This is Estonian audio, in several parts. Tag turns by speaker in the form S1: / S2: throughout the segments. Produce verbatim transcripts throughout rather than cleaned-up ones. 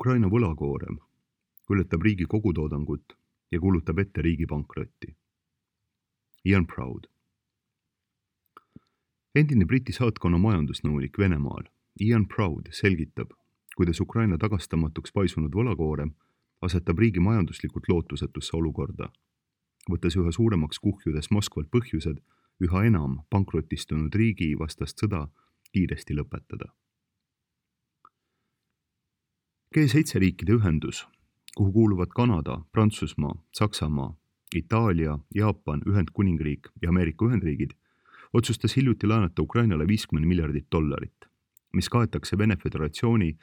S1: Ukraina võlakoorem ületab riigi kogutoodangut ja kuulutab ette riigi pankrotti. Ian Proud. Endine Briti saatkonna majandusnõunik Venemaal Ian Proud selgitab, kuidas Ukraina tagastamatuks paisunud võlakoorem asetab riigi majanduslikult lootusetusse olukorda, võttes üha suuremaks kuhjudes Moskvalt põhjused üha enam pankrotistunud riigi vastast sõda kiiresti lõpetada. G seitse riikide ühendus, kuhu kuuluvad Kanada, Prantsusmaa, Saksamaa, Itaalia, Jaapan, Ühendkuningriik ja Ameerika Ühendriigid, otsustas hiljuti laenata Ukrainale viiskümmend miljardit dollarit, mis kaetakse Vene Föderatsiooni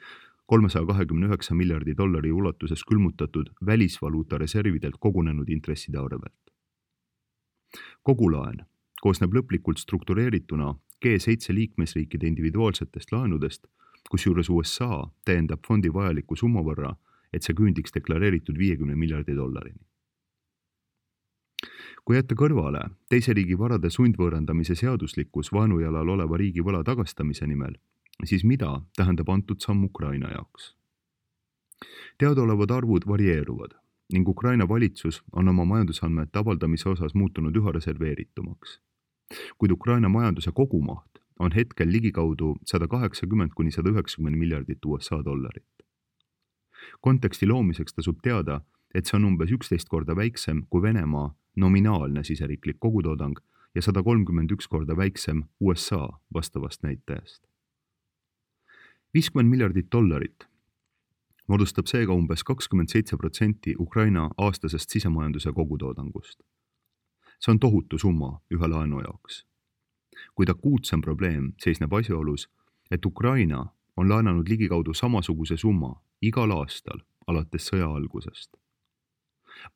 S1: kolmesaja kahekümne üheksa miljardi dollari ulatuses külmutatud välisvaluuta reservidelt kogunenud intresside arvelt. Kogu laen koosneb lõplikult struktureerituna G seitse liikmesriikide individuaalsetest laenudest, kusjuures U S A täiendab fondi vajaliku summa võrra, et see küündiks deklareeritud viiekümne miljardi dollarini. Kui jätta kõrvale teise riigi varade sundvõõrandamise seaduslikkus vaenujalal oleva riigi võla tagastamise nimel, siis mida tähendab antud samm Ukraina jaoks? Teadaolevad arvud varieeruvad ning Ukraina valitsus on oma majandusandmete avaldamise osas muutunud üha reserveeritumaks. Kuid Ukraina majanduse kogumaht on hetkel ligikaudu sada kaheksakümmend kuni sada üheksakümmend miljardit U S A dollarit. Konteksti loomiseks tasub teada, et see on umbes üksteist korda väiksem kui Venemaa nominaalne siseriiklik kogutoodang ja sada kolmkümmend üks korda väiksem U S A vastavast näitajast. viiskümmend miljardit dollarit moodustab seega umbes kakskümmend seitse protsenti Ukraina aastasest sisemajanduse kogutoodangust. See on tohutu summa ühe laenu jaoks. Kuid akuutsem probleem seisneb asjaolus, et Ukraina on laenanud ligikaudu samasuguse summa igal aastal alates sõja algusest.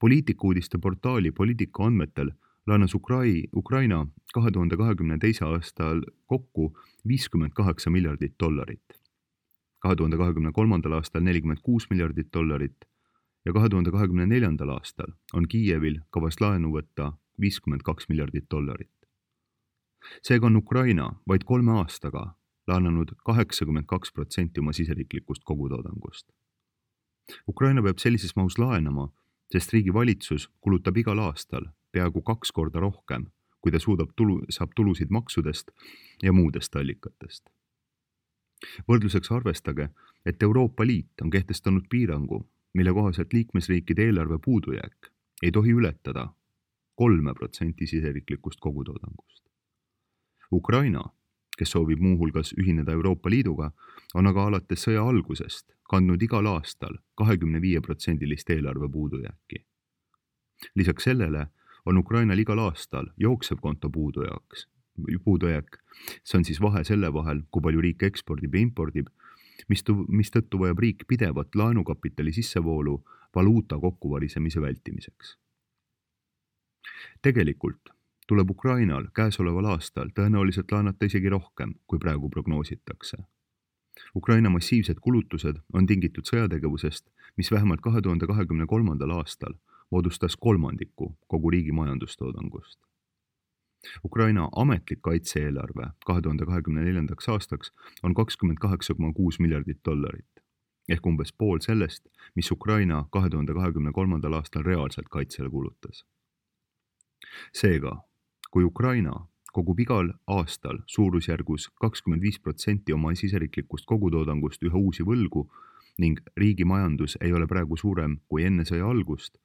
S1: Poliitikuudiste portaali Poliitika andmetel laenas Ukrai, Ukraina kahe tuhande kahekümne teise aastal kokku viiskümmend kaheksa miljardit dollarit, kahe tuhande kahekümne kolmandal aastal nelikümmend kuus miljardit dollarit ja kahe tuhande kahekümne neljandal aastal on Kiievil kavas laenu võtta viiskümmend kaks miljardit dollarit. Seega on Ukraina vaid kolme aastaga laenanud kaheksakümmend kaks protsenti oma siseriiklikust kogutoodangust. Ukraina peab sellises mahus laenama, sest riigi valitsus kulutab igal aastal peaaegu kaks korda rohkem, kui ta suudab tulu, saab tulusid maksudest ja muudest allikatest. Võrdluseks arvestage, et Euroopa Liit on kehtestanud piirangu, mille kohaselt liikmesriikide eelarve puudujääk ei tohi ületada kolme protsenti siseriiklikust kogutoodangust. Ukraina, kes soovib muuhulgas ühineda Euroopa Liiduga, on aga alates sõja algusest kandnud igal aastal kahekümne viie protsendilist eelarve puudujääki. Lisaks sellele on Ukrainal igal aastal jooksev konto puudujääks, puudujääk, see on siis vahe selle vahel, kui palju riik ekspordib ja impordib, mistõttu vajab riik pidevat laenukapitali sissevoolu valuuta kokkuvarisemise vältimiseks. Tegelikult tuleb Ukrainal käesoleval aastal tõenäoliselt laenata isegi rohkem, kui praegu prognoositakse. Ukraina massiivsed kulutused on tingitud sõjategevusest, mis vähemalt kahe tuhande kahekümne kolmandal aastal moodustas kolmandiku kogu riigi majandustoodangust. Ukraina ametlik kaitse-eelarve kahe tuhande kahekümne neljandaks aastaks on kakskümmend kaheksa koma kuus miljardit dollarit, ehk umbes pool sellest, mis Ukraina kahe tuhande kahekümne kolmandal aastal reaalselt kaitsele kulutas. Seega, kui Ukraina kogub igal aastal suurusjärgus kakskümmend viis protsenti oma siseriiklikust kogutoodangust üha uusi võlgu ning riigi majandus ei ole praegu suurem kui enne sõja algust,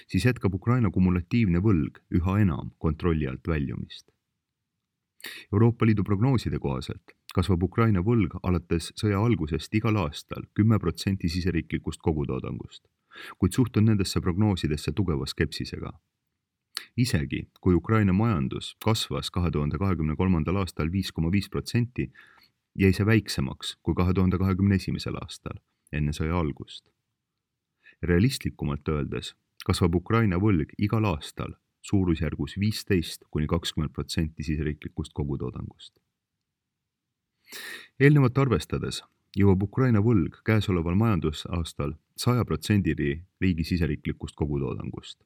S1: siis jätkab Ukraina kumulatiivne võlg üha enam kontrolli alt väljumist. Euroopa Liidu prognooside kohaselt kasvab Ukraina võlg alates sõja algusest igal aastal kümme protsenti siseriiklikust kogutoodangust, kuid suhtun nendesse prognoosidesse tugeva skepsisega. Isegi kui Ukraina majandus kasvas kahe tuhande kahekümne kolmandal aastal viis koma viis protsenti, jäi see väiksemaks kui kahe tuhande kahekümne esimesel aastal enne sõja algust. Realistlikumalt öeldes kasvab Ukraina võlg igal aastal suurusjärgus viisteist kuni kakskümmend protsenti siseriiklikust kogutoodangust. Eelnevat arvestades jõuab Ukraina võlg käesoleval majandusaastal saja protsendini riigi siseriiklikust kogutoodangust.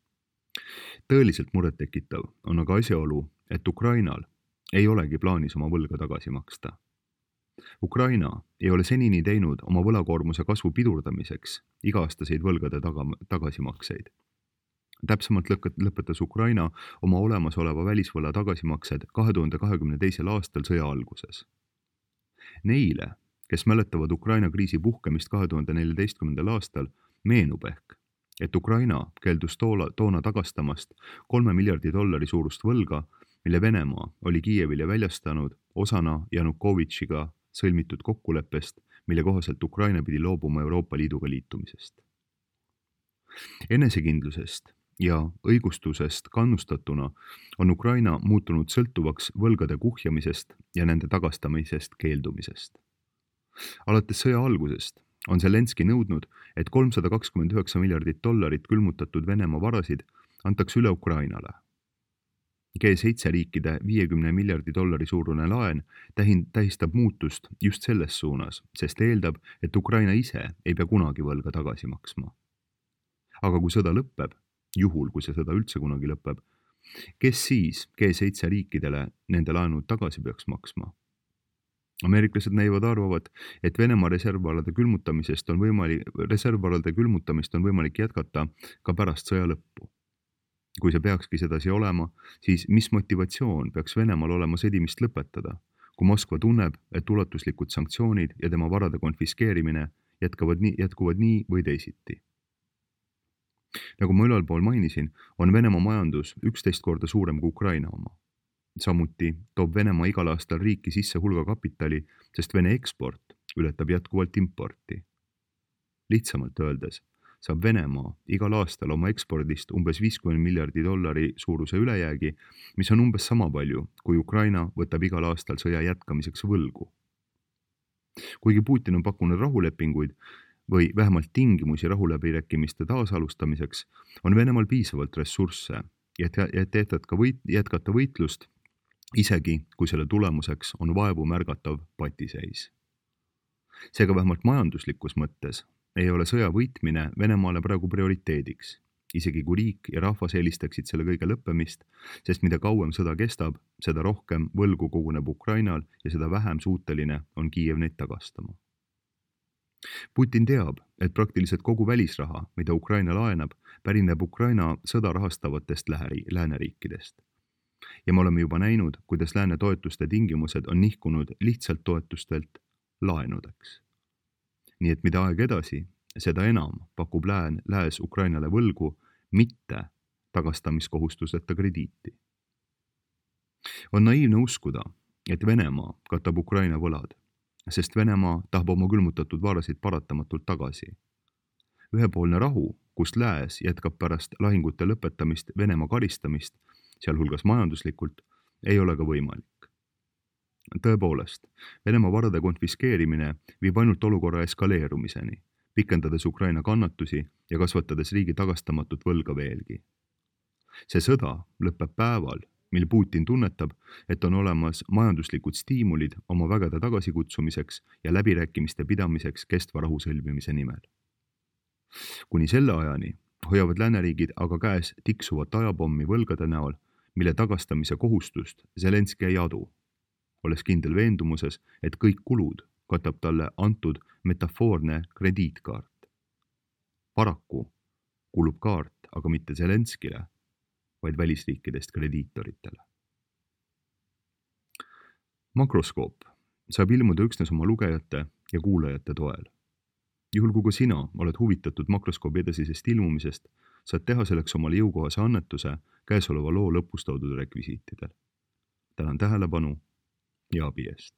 S1: Tõeliselt murettekitav on aga asjaolu, et Ukrainal ei olegi plaanis oma võlga tagasi maksta. Ukraina ei ole senini teinud oma võlakoormuse kasvu pidurdamiseks iga-aastaseid võlgade taga, tagasimakseid. Täpsemalt lõpetas Ukraina oma olemasoleva välisvõla tagasimaksed kahe tuhande kahekümne teisel aastal sõja alguses. Neile, kes mäletavad Ukraina kriisi puhkemist kahe tuhande neljateistkümnendal aastal, meenub ehk, et Ukraina keeldus toona, toona tagastamast kolme miljardi dollari suurust võlga, mille Venemaa oli Kiievile väljastanud osana Janukovitšiga sõlmitud kokkuleppest, mille kohaselt Ukraina pidi loobuma Euroopa Liiduga liitumisest. Enesekindlusest ja õigustusest kannustatuna on Ukraina muutunud sõltuvaks võlgade kuhjamisest ja nende tagastamisest keeldumisest. Alates sõja algusest on Zelenski nõudnud, et kolmsada kakskümmend üheksa miljardit dollarit külmutatud Venemaa varasid antakse üle Ukrainale. G seitse riikide viiekümne miljardi dollari suurune laen tähistab muutust just selles suunas, sest eeldab, et Ukraina ise ei pea kunagi võlga tagasi maksma. Aga kui sõda lõpeb, juhul kui see sõda üldse kunagi lõpeb, kes siis G seitse riikidele nende laenud tagasi peaks maksma? Ameeriklased näivad arvavad, et Venemaa reservvarade külmutamisest on võimalik, reservvarade külmutamist on võimalik jätkata ka pärast sõja lõppu. Kui see peakski sedasi olema, siis mis motivatsioon peaks Venemaal olema sõdimist lõpetada, kui Moskva tunneb, et ulatuslikud sanktsioonid ja tema varade konfiskeerimine jätkavad nii, jätkuvad nii või teisiti. Nagu ma ülalpool mainisin, on Venemaa majandus üksteist korda suurem kui Ukraina oma. Samuti toob Venemaa igal aastal riiki sisse hulga kapitali, sest Vene eksport ületab jätkuvalt importi. Lihtsamalt öeldes saab Venemaa igal aastal oma ekspordist umbes viiskümmend miljardi dollari suuruse ülejäägi, mis on umbes sama palju, kui Ukraina võtab igal aastal sõja jätkamiseks võlgu. Kuigi Putin on pakkunud rahulepinguid või vähemalt tingimusi rahuläbirääkimiste taasalustamiseks, on Venemaal piisavalt ressursse, et jätkata võit, jätkata võitlust, isegi kui selle tulemuseks on vaevu märgatav patiseis. Seega vähemalt majanduslikus mõttes ei ole sõja võitmine Venemaale praegu prioriteediks, isegi kui riik ja rahvas eelistaksid selle kõige lõppemist, sest mida kauem sõda kestab, seda rohkem võlgu koguneb Ukrainal ja seda vähem suuteline on Kiiev neid tagastama. Putin teab, et praktiliselt kogu välisraha, mida Ukraina laenab, pärineb Ukraina sõda rahastavatest lääneriikidest. Ja me oleme juba näinud, kuidas lääne toetuste tingimused on nihkunud lihtsalt toetustelt laenudeks. Nii et mida aeg edasi, seda enam pakub lään, lääs Ukrainale võlgu, mitte tagastamiskohustuseta krediiti. On naiivne uskuda, et Venemaa katab Ukraina võlad, sest Venemaa tahab oma külmutatud varasid paratamatult tagasi. Ühepoolne rahu, kus lääs jätkab pärast lahingute lõpetamist Venemaa karistamist, sealhulgas majanduslikult, ei ole ka võimalik. Tõepoolest, Venemaa varade konfiskeerimine viib ainult olukorra eskaleerumiseni, pikendades Ukraina kannatusi ja kasvatades riigi tagastamatut võlga veelgi. See sõda lõpeb päeval, mil Putin tunnetab, et on olemas majanduslikud stiimulid oma vägede tagasikutsumiseks ja läbirääkimiste pidamiseks kestva rahu sõlmimise nimel. Kuni selle ajani hoiavad lääneriigid aga käes tiksuvat ajapommi võlgade näol, mille tagastamise kohustust Zelenski ei adu, olles kindel veendumuses, et kõik kulud katab talle antud metafoorne krediitkaart. Paraku kulub kaart aga mitte Zelenskile, vaid välisriikidest krediitoritele. Makroskoop saab ilmuda üksnes oma lugejate ja kuulajate toel. Juhul kui ka sina oled huvitatud makroskoobi edasisest ilmumisest, saad teha selleks omale jõukohase annetuse käesoleva loo lõpus toodud rekvisiitidel. Tänan tähelepanu ja abi eest.